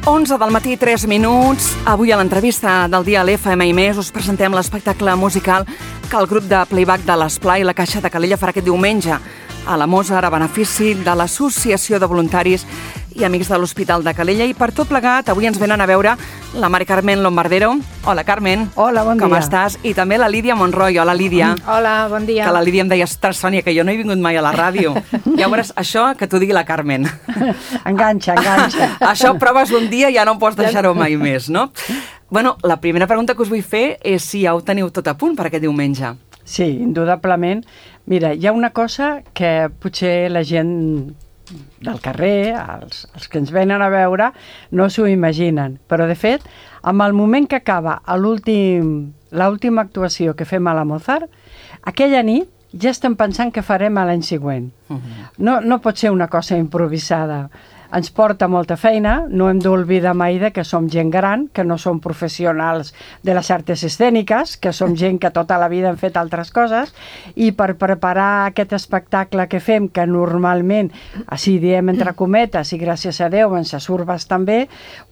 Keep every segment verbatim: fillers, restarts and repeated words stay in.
onze del matí, tres minuts. Avui a l'entrevista del dia a l'F M i més us presentem l'espectacle musical que el grup de playback de l'Esplai i la Caixa de Calella farà aquest diumenge a la Mozart a benefici de l'Associació de Voluntaris i Amics de l'Hospital de Calella. I per tot plegat, avui ens venen a veure la Mari Carmen Lombardero. Hola, Carmen. Hola, bon dia. Com estàs? I també la Lídia Monroy. Hola, Lídia. Hola, bon dia. Que la Lídia em deia, ostres, Sònia, que jo no he vingut mai a la ràdio. Ja veuràs, això que t'ho digui la Carmen. Enganxa, enganxa. Això proves un dia i ja no pots deixar-ho mai més, no? Bueno, la primera pregunta que us vull fer és si ja ho teniu tot a punt per aquest diumenge. Sí, indudablement. Mira, hi ha una cosa que potser la gent del carrer, els, els que ens venen a veure, no s'ho imaginen. Però, de fet, amb el moment que acaba l'última actuació que fem a la Mozart, aquella nit ja estem pensant què farem a l'any següent. Uh-huh. No, no pot ser una cosa improvisada. Ens porta molta feina, no hem d'oblidar mai de que som gent gran, que no som professionals de les arts escèniques, que som gent que tota la vida hem fet altres coses, i per preparar aquest espectacle que fem, que normalment, així diem entre cometes, i gràcies a Déu ens surt bastant bé,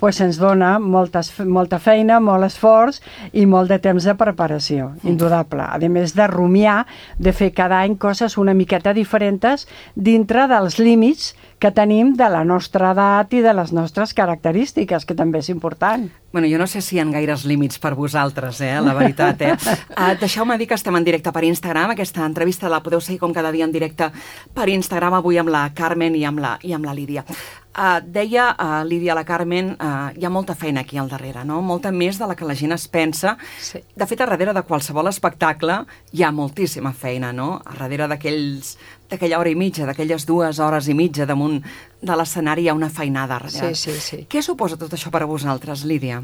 pues ens dona moltes, molta feina, molt esforç i molt de temps de preparació, indudable. A més de rumiar, de fer cada any coses una miqueta diferents dintre dels límits que tenim de la nostra edat i de les nostres característiques, que també és important. Bueno, jo no sé si hi ha gaires límits per vosaltres, eh, la veritat, eh? Uh, Deixeu-me dir que estem en directe per Instagram. Aquesta entrevista la podeu seguir com cada dia en directe per Instagram, avui amb la Carmen i amb la, i amb la Lídia. Uh, deia uh, Lídia, la Carmen, uh, hi ha molta feina aquí al darrere, no? Molta més de la que la gent es pensa. Sí. De fet, a darrere de qualsevol espectacle hi ha moltíssima feina, no? A darrere d'aquells d'aquella hora i mitja, d'aquelles dues hores i mitja damunt de l'escenari hi ha una feinada darrere. Sí, sí, sí. Què suposa tot això per a vosaltres, Lídia?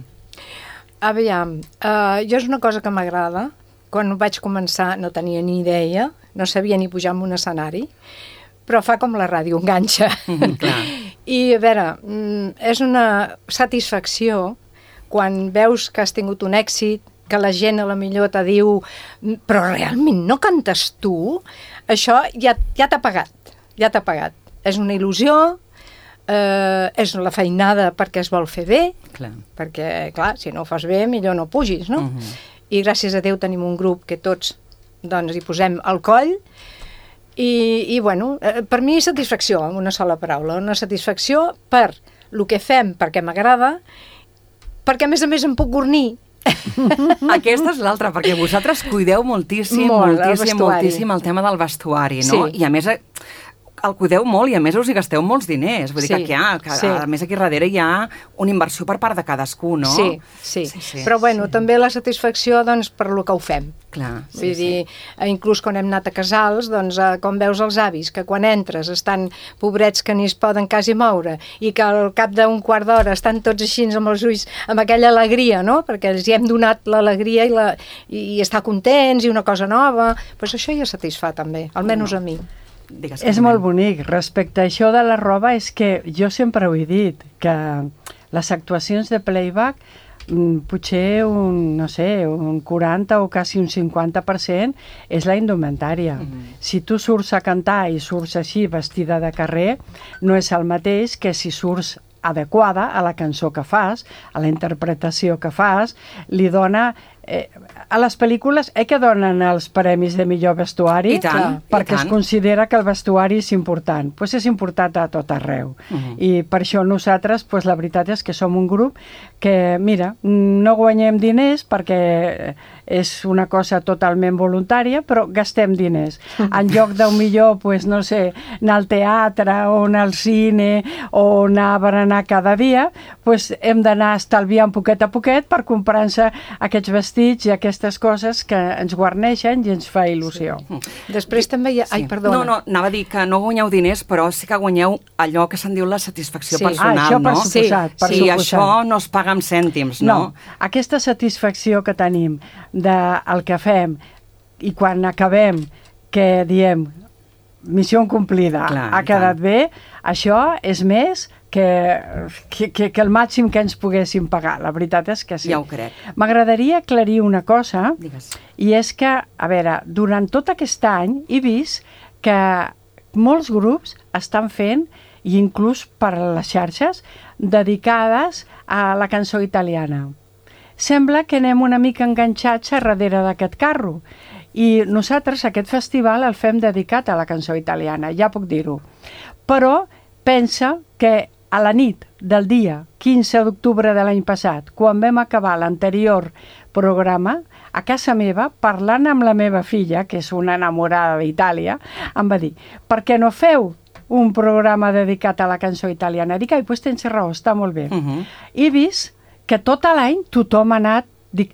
Aviam, uh, jo és una cosa que m'agrada. Quan vaig començar no tenia ni idea, no sabia ni pujar en un escenari, però fa com la ràdio, enganxa. Mm, clar. I a veure, és una satisfacció quan veus que has tingut un èxit, que la gent a la millor te diu però realment no cantes tu? Això ja, ja t'ha pagat, ja t'ha pagat. És una il·lusió, eh, és la feinada perquè es vol fer bé, clar. perquè, clar, si no ho fas bé, millor no pugis, no? Uh-huh. I gràcies a Déu tenim un grup que tots, doncs, hi posem al coll, i, i bueno, eh, per mi satisfacció, amb una sola paraula, una satisfacció per el que fem, perquè m'agrada, perquè a més a més em puc gornir. Aquesta és l'altra, perquè vosaltres cuideu moltíssim, Molt, moltíssim, moltíssim el tema del vestuari, no? Sí. I a més el cuideu molt i a més us hi gasteu molts diners. Vull dir Sí, que, ja, que sí. a més aquí darrere hi ha una inversió per part de cadascú, no? Sí, sí, Sí, sí, però bueno, sí. també la satisfacció, doncs, per lo que ho fem. Clar, sí, Vull dir, sí. eh, inclús quan hem anat a casals, doncs, eh, com veus els avis, que quan entres estan pobrets que ni es poden quasi moure, i que al cap d'un quart d'hora estan tots així amb els ulls, amb aquella alegria, no? Perquè els hi hem donat l'alegria i, la, i, i estar contents i una cosa nova, doncs això ja satisfà també, almenys No. a mi. Digues, És molt bonic. Respecte a això de la roba, és que jo sempre ho he dit, que les actuacions de playback potser un, no sé, un quaranta o quasi un cinquanta per cent és la indumentària. Mm-hmm. Si tu surts a cantar i surts així vestida de carrer, no és el mateix que si surts adequada a la cançó que fas, a la interpretació que fas, li dona... Eh, a les pel·lícules eh que donen els premis de millor vestuari, I tant, perquè i tant. es considera que el vestuari és important. Pues és important a tot arreu. Uh-huh. I per això nosaltres, pues, la veritat és que som un grup que, mira, no guanyem diners perquè és una cosa totalment voluntària, però gastem diners. En lloc d'un millor, pues, no sé, anar al teatre o anar al cine o anar a berenar cada dia, pues, hem d'anar estalviant poquet a poquet per comprar-se aquests vestits i aquestes coses que ens guarneixen i ens fa il·lusió. Sí. Després també hi ha... Ai, Sí. perdona. No, no, anava a dir que no guanyeu diners, però sí que guanyeu allò que se'n diu la satisfacció Sí. personal, Ah, això per no? suposat, per sí, suposat. això no es paga amb cèntims, no? No, aquesta satisfacció que tenim del que fem i quan acabem que diem missió complida, Clar, ha i quedat tant. bé, això és més que, que, que, que el màxim que ens poguéssim pagar. La veritat és que sí. Ja ho crec. M'agradaria aclarir una cosa, Digues. i és que, a veure, durant tot aquest any he vist que molts grups estan fent, i inclús per a les xarxes, dedicades a la cançó italiana. Sembla que anem una mica enganxats a darrere d'aquest carro. I nosaltres aquest festival el fem dedicat a la cançó italiana, ja puc dir-ho. Però pensa que a la nit del dia quinze d'octubre de l'any passat, quan vam acabar l'anterior programa, a casa meva, parlant amb la meva filla, que és una enamorada d'Itàlia, em va dir, per què no feu un programa dedicat a la cançó italiana? Dic, ai, doncs tens raó, està molt bé. Uh -huh. He vist que tot l'any tothom ha anat, dic,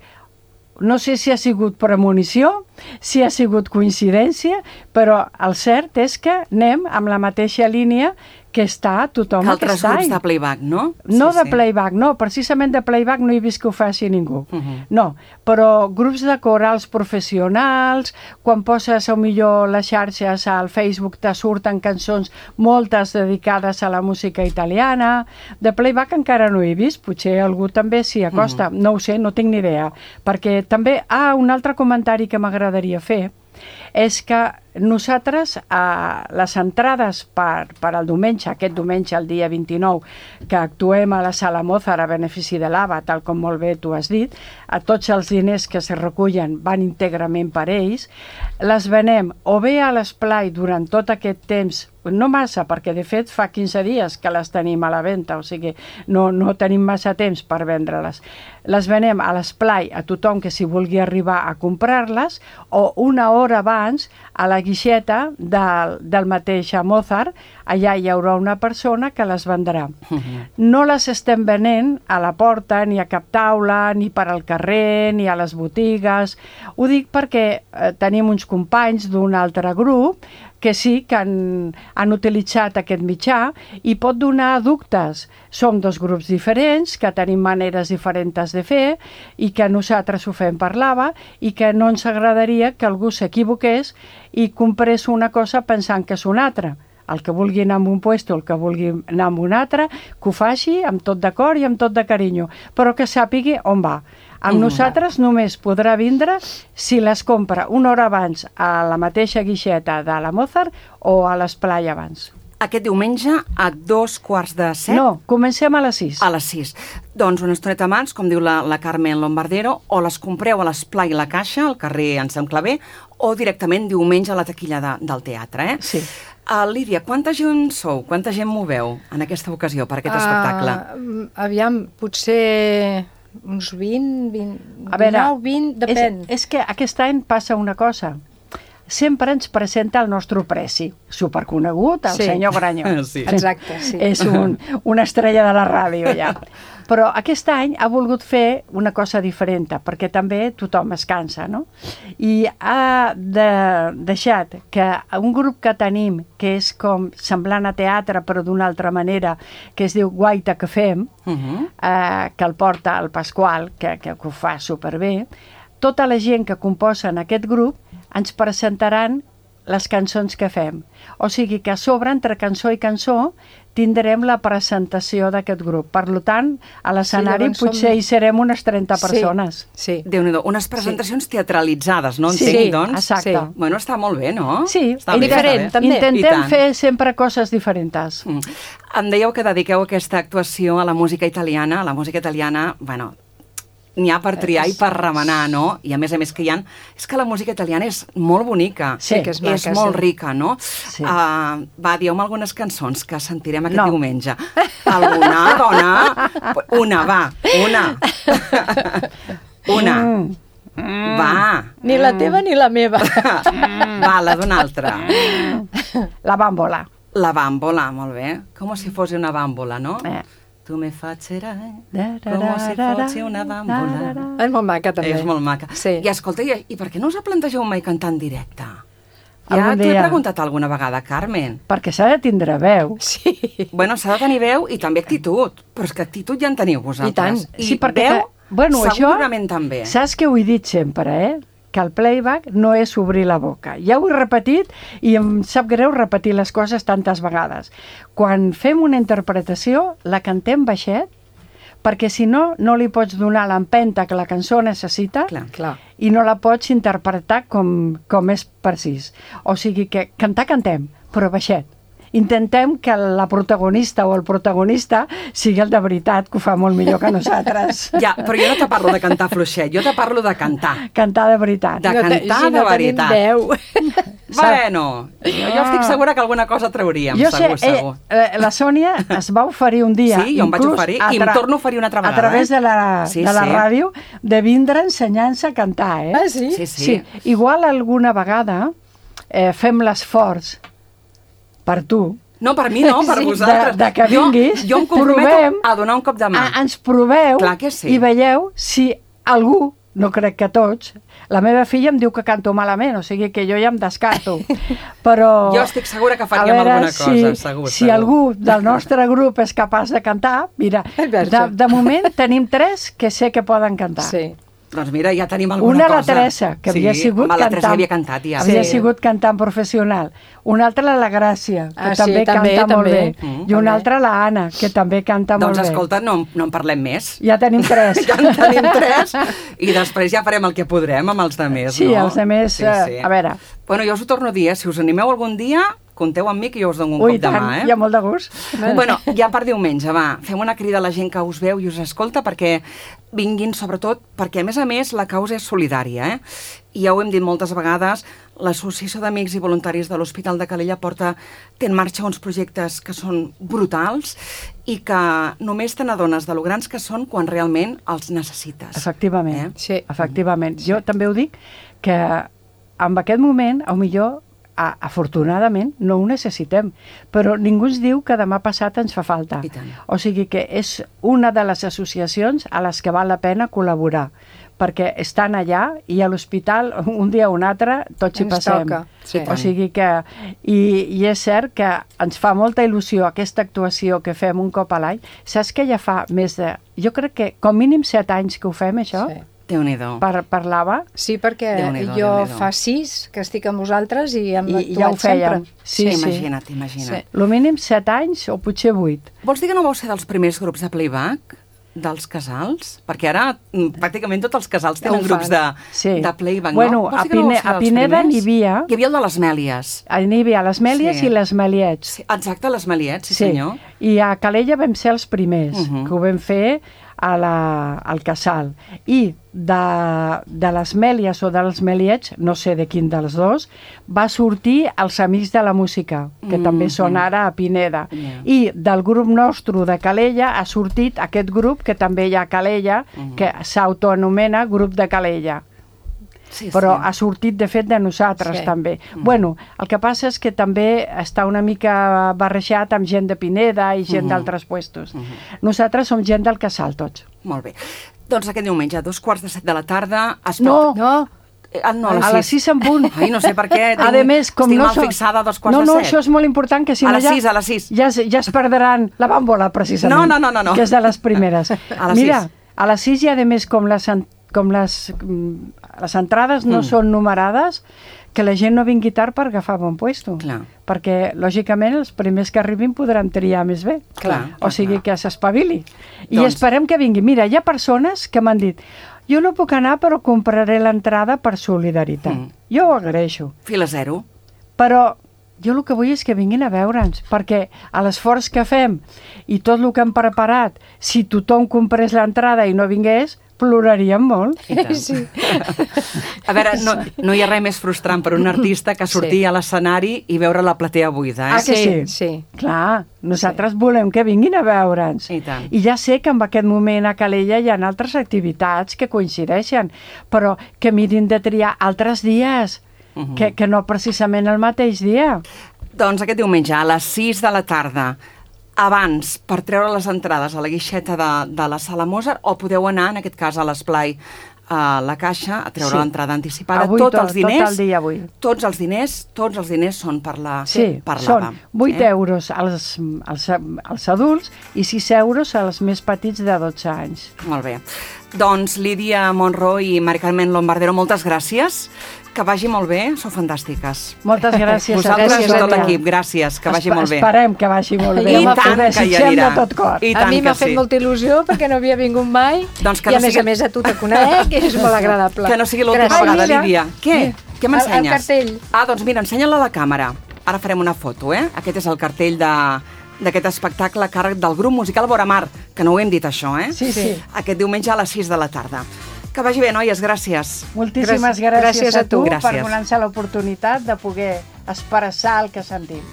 no sé si ha sigut premonició, si ha sigut coincidència, però el cert és que anem amb la mateixa línia que està tothom aquest any. Altres grups de playback, no? No sí, de sí. playback, no, precisament de playback no he vist que ho faci ningú. Uh -huh. No, però grups de corals professionals, quan poses a millor les xarxes al Facebook te surten cançons, moltes dedicades a la música italiana. De playback encara no he vist, potser algú també s'hi acosta, uh -huh. no ho sé, no tinc ni idea. Perquè també, ah, un altre comentari que m'agradaria fer és que nosaltres, eh, les entrades per, per al diumenge, aquest diumenge, el dia vint-i-nou, que actuem a la Sala Mozart a benefici de l'A B A, tal com molt bé tu has dit, a tots els diners que se recullen van íntegrament per ells, les venem o bé a l'esplai durant tot aquest temps, no massa, perquè de fet fa quinze dies que les tenim a la venda, o sigui, no, no tenim massa temps per vendre-les. Les venem a l'esplai a tothom que s'hi vulgui arribar a comprar-les, o una hora abans a la guixeta del, del mateix Mozart, allà hi haurà una persona que les vendrà. Uh -huh. No les estem venent a la porta, ni a cap taula, ni per al carrer, ni a les botigues. Ho dic perquè eh, tenim uns companys d'un altre grup que sí que han, han utilitzat aquest mitjà i pot donar dubtes. Som dos grups diferents, que tenim maneres diferents de fer i que nosaltres ho fem per l'A B A i que no ens agradaria que algú s'equivoqués i comprés una cosa pensant que és una altra. El que vulgui anar a un puesto, el que vulgui anar a un altre, que ho faci amb tot d'acord i amb tot de carinyo, però que sàpigui on va. Amb mm. nosaltres només podrà vindre si les compra una hora abans a la mateixa guixeta de la Mozart o a l'esplai abans. Aquest diumenge a dos quarts de set? No, comencem a les sis. A les sis. Doncs una estoneta abans, com diu la, la Carmen Lombardero, o les compreu a l'esplai La Caixa, al carrer Anselm Clavé, o directament diumenge a la taquilla de, del teatre, eh? Sí. Uh, Lídia, quanta gent sou? Quanta gent moveu en aquesta ocasió per aquest uh, espectacle? Aviam, potser uns vint, vint, a veure, dinou, vint, depèn. És, és que aquest any passa una cosa. Sempre ens presenta el nostre preci, superconegut, el sí. senyor Granyó. Sí. Exacte, sí. És un, una estrella de la ràdio, ja. Però aquest any ha volgut fer una cosa diferent, perquè també tothom es cansa, no? I ha de, deixat que un grup que tenim, que és com semblant a teatre, però d'una altra manera, que es diu Guaita que fem, uh -huh. eh, que el porta el Pasqual, que, que, que ho fa superbé, tota la gent que composa en aquest grup ens presentaran les cançons que fem. O sigui que a sobre, entre cançó i cançó, tindrem la presentació d'aquest grup. Per tant, a l'escenari sí, potser som... hi serem unes trenta persones. Sí, sí. Déu-n'hi-do, unes presentacions sí. teatralitzades, no? Sí, Entenc, doncs? exacte. Sí. Bueno, està molt bé, no? Sí, està bé, diferent, està bé. també. Intentem fer sempre coses diferents. Mm. Em dèieu que dediqueu aquesta actuació a la música italiana. La música italiana, bueno, n'hi ha per triar i per remenar, no? I a més a més que hi ha... És que la música italiana és molt bonica. Sí, que és maca, És molt sí. rica, no? Sí. Uh, va, dieu-me algunes cançons que sentirem aquest no. diumenge. Alguna, dona? Una, va, una. Una. Mm. Mm. Va. Ni la teva ni la meva. Va, la d'una altra. La bàmbola. La bàmbola, molt bé. Com si fos una bàmbola, no? Eh. Tu me facerai com si fos una bàmbola. És molt maca, també. És molt maca. Sí. I escolta, i, i per què no us plantegeu mai cantar en directe? Ja Algun t'ho he dia. preguntat alguna vegada, Carmen. Perquè s'ha de tindre veu. Sí. Bueno, s'ha de tenir veu i també actitud. Però és que actitud ja en teniu vosaltres. I tant. I Sí, perquè veu, que- bueno, això- segurament també. Saps que ho he dit sempre, eh? Que el playback no és obrir la boca. Ja ho he repetit i em sap greu repetir les coses tantes vegades. Quan fem una interpretació, la cantem baixet, perquè si no, no li pots donar l'empenta que la cançó necessita Clar. Clar. i no la pots interpretar com, com és precís. O sigui que cantar, cantem, però baixet. Intentem que la protagonista o el protagonista sigui el de veritat, que ho fa molt millor que nosaltres. Ja, però jo no te parlo de cantar fluixet, jo te parlo de cantar. Cantar de veritat. De cantar si de no veritat. Veu. Bueno, jo, jo estic segura que alguna cosa trauríem, jo segur, sé, segur. Eh, la Sònia es va oferir un dia, Sí, jo em vaig oferir i em torno a oferir una altra vegada. a través eh? de la, sí, de la sí. ràdio, de vindre ensenyant-se a cantar, eh? Ah, sí? Sí, sí. Sí, igual alguna vegada eh, fem l'esforç per tu, No, per mi no, per Sí. vosaltres. de, de que vinguis, Jo, jo em comprometo provem, a donar un cop de mà. a, ens proveu Clar que sí. i veieu si algú, no crec que tots, la meva filla em diu que canto malament, o sigui que jo ja em descarto, però... Jo estic segura que a faríem veure alguna cosa, si, segur, Si segur. algú del nostre grup és capaç de cantar, mira, de, de moment tenim tres que sé que poden cantar. Sí. Doncs mira, ja tenim alguna Una, cosa. la Teresa, que havia sí, sigut home, la cantant. Teresa havia cantat, ja. Havia Sí. sigut cantant professional. Una altra, la, la Gràcia, que Ah, sí, també també, canta molt també. bé. Mm, I una també. altra, la Anna, que també canta Doncs molt bé. escolta, no, no en parlem més. Ja tenim tres. Ja en tenim tres i després ja farem el que podrem amb els demés, Sí, no? els demés, eh, a veure. Bueno, jo us ho torno a dir, eh? Si us animeu algun dia, compteu amb mi que jo us dono un Ui, cop de tant, mà, eh? hi ha molt de gust. Bueno, ja per diumenge, va, fem una crida a la gent que us veu i us escolta perquè vinguin, sobretot, perquè a més a més la causa és solidària, eh? I ja ho hem dit moltes vegades, l'Associació d'Amics i Voluntaris de l'Hospital de Calella porta, té en marxa uns projectes que són brutals i que només te n'adones de lo grans que són quan realment els necessites. Efectivament, Eh? Sí. efectivament. Jo també ho dic, que en aquest moment, a millor, a, afortunadament, no ho necessitem, però ningú ens diu que demà passat ens fa falta. I tant. O sigui que és una de les associacions a les que val la pena col·laborar, perquè estan allà i a l'hospital, un dia o un altre, tots hi Ens passem. toca, sí. O sigui que... I, I és cert que ens fa molta il·lusió aquesta actuació que fem un cop a l'any. Saps que ja fa més de... Jo crec que com mínim set anys que ho fem, això, Sí. Déu-n'hi-do. par, parlava, Sí, perquè Déu-n'hi-do, jo Déu-n'hi-do. fa sis que estic amb vosaltres i hem i, i actuat ja ho fèiem. sempre. Sí, sí. Imagina't, imagina't. Sí. Lo mínim set anys o potser vuit. Vols dir que no vau ser dels primers grups de playback? Dels casals? Perquè ara mm, pràcticament tots els casals Ja ho tenen grups fan. de, Sí. de playback, Bueno, no? Vols a dir que no vau Pine- ser a dels Pineda primers? n'hi havia. Hi havia el de les Mèlies. N'hi havia les Mèlies Sí. i les Meliets. Sí, exacte, les Meliets, sí, senyor. I a Calella vam ser els primers, Uh -huh. que ho vam fer a la, al casal. I de, de les Mèlies o dels Meliets, no sé de quin dels dos, va sortir els Amics de la Música, que Mm, també són ara a Pineda. Yeah. I del grup nostre de Calella ha sortit aquest grup que també hi ha a Calella, Mm. que s'autoanomena Grup de Calella. Sí, Però sí. ha sortit, de fet, de nosaltres, Sí. també. Bueno, el que passa és que també està una mica barrejat amb gent de Pineda i gent Mhm. d'altres puestos. Nosaltres som gent del casal, tots. Molt bé. Doncs aquest diumenge, a dos quarts de set de la tarda... Es No, No, Eh, Ah, no, a les a les sis. sis en punt. Ai, no sé per què. A Tinc, més, com estic no mal són- fixada a dos quarts no, de no, set. això és molt important, que si A no les ja... sis, a les sis. Ja, es- ja es perdran la bàmbola, precisament. No, no, no, no, no. Que és de les primeres. A les Mira, sis. a les sis i, a més, com les, en- com les, mm, les entrades no Mm. són numerades, que la gent no vingui tard per agafar bon puesto. Clar. Perquè, lògicament, els primers que arribin podran triar més bé. Clar, O sigui clar. que s'espavili. I Doncs- esperem que vingui. Mira, hi ha persones que m'han dit jo no puc anar però compraré l'entrada per solidaritat. Mm. Jo ho agraeixo. Fila zero. Però jo el que vull és que vinguin a veure'ns, perquè a l'esforç que fem i tot el que hem preparat, si tothom comprés l'entrada i no vingués, ploraríem molt. I tant. sí. A veure, no, no hi ha res més frustrant per un artista que sortir Sí. a l'escenari i veure la platea buida, eh? Ah, que sí? Sí. Clar, nosaltres volem que vinguin a veure'ns. I tant. I ja sé que en aquest moment a Calella hi ha altres activitats que coincideixen, però que mirin de triar altres dies, Mhm. que, que no precisament el mateix dia. Doncs aquest diumenge, a les sis de la tarda, abans, per treure les entrades a la guixeta de, de la Sala Mozart, o podeu anar, en aquest cas, a l'esplai, a la caixa, a treure Sí. l'entrada anticipada. Avui tots tot- els diners, tot el dia avui. Tots els diners, tots els diners són per la Sí, per són l'A V A. vuit eh? euros als, als, als adults i sis euros als més petits de dotze anys. Molt bé. Doncs Lídia Monroy i Mari Carmen Lombardero, moltes gràcies. Que vagi molt bé, sou fantàstiques. Moltes gràcies. Vosaltres gràcies i a tot tu. l'equip, gràcies, que vagi Espe- molt bé. Esperem que vagi molt bé. I Home, tant ho que hi desitgem anirà. de tot cor. I A tant mi que m'ha fet sí. molta il·lusió perquè no havia vingut mai Doncs que i no a més sigui- a més a tu te conec i és molt agradable. Que no sigui l'última Gràcies. vegada, Ai, mira. Lídia. Què? Què m'ensenyes? El- el cartell. Ah, doncs mira, ensenya-la a la càmera. Ara farem una foto, eh? Aquest és el cartell de d'aquest espectacle a càrrec del grup musical Voramar, que no ho hem dit això, eh? Sí, sí. Aquest diumenge a les sis de la tarda. Que vagi bé, noies, gràcies. Moltíssimes gràcies, gràcies a a tu. tu Gràcies. per donar-nos l'oportunitat de poder expressar el que sentim.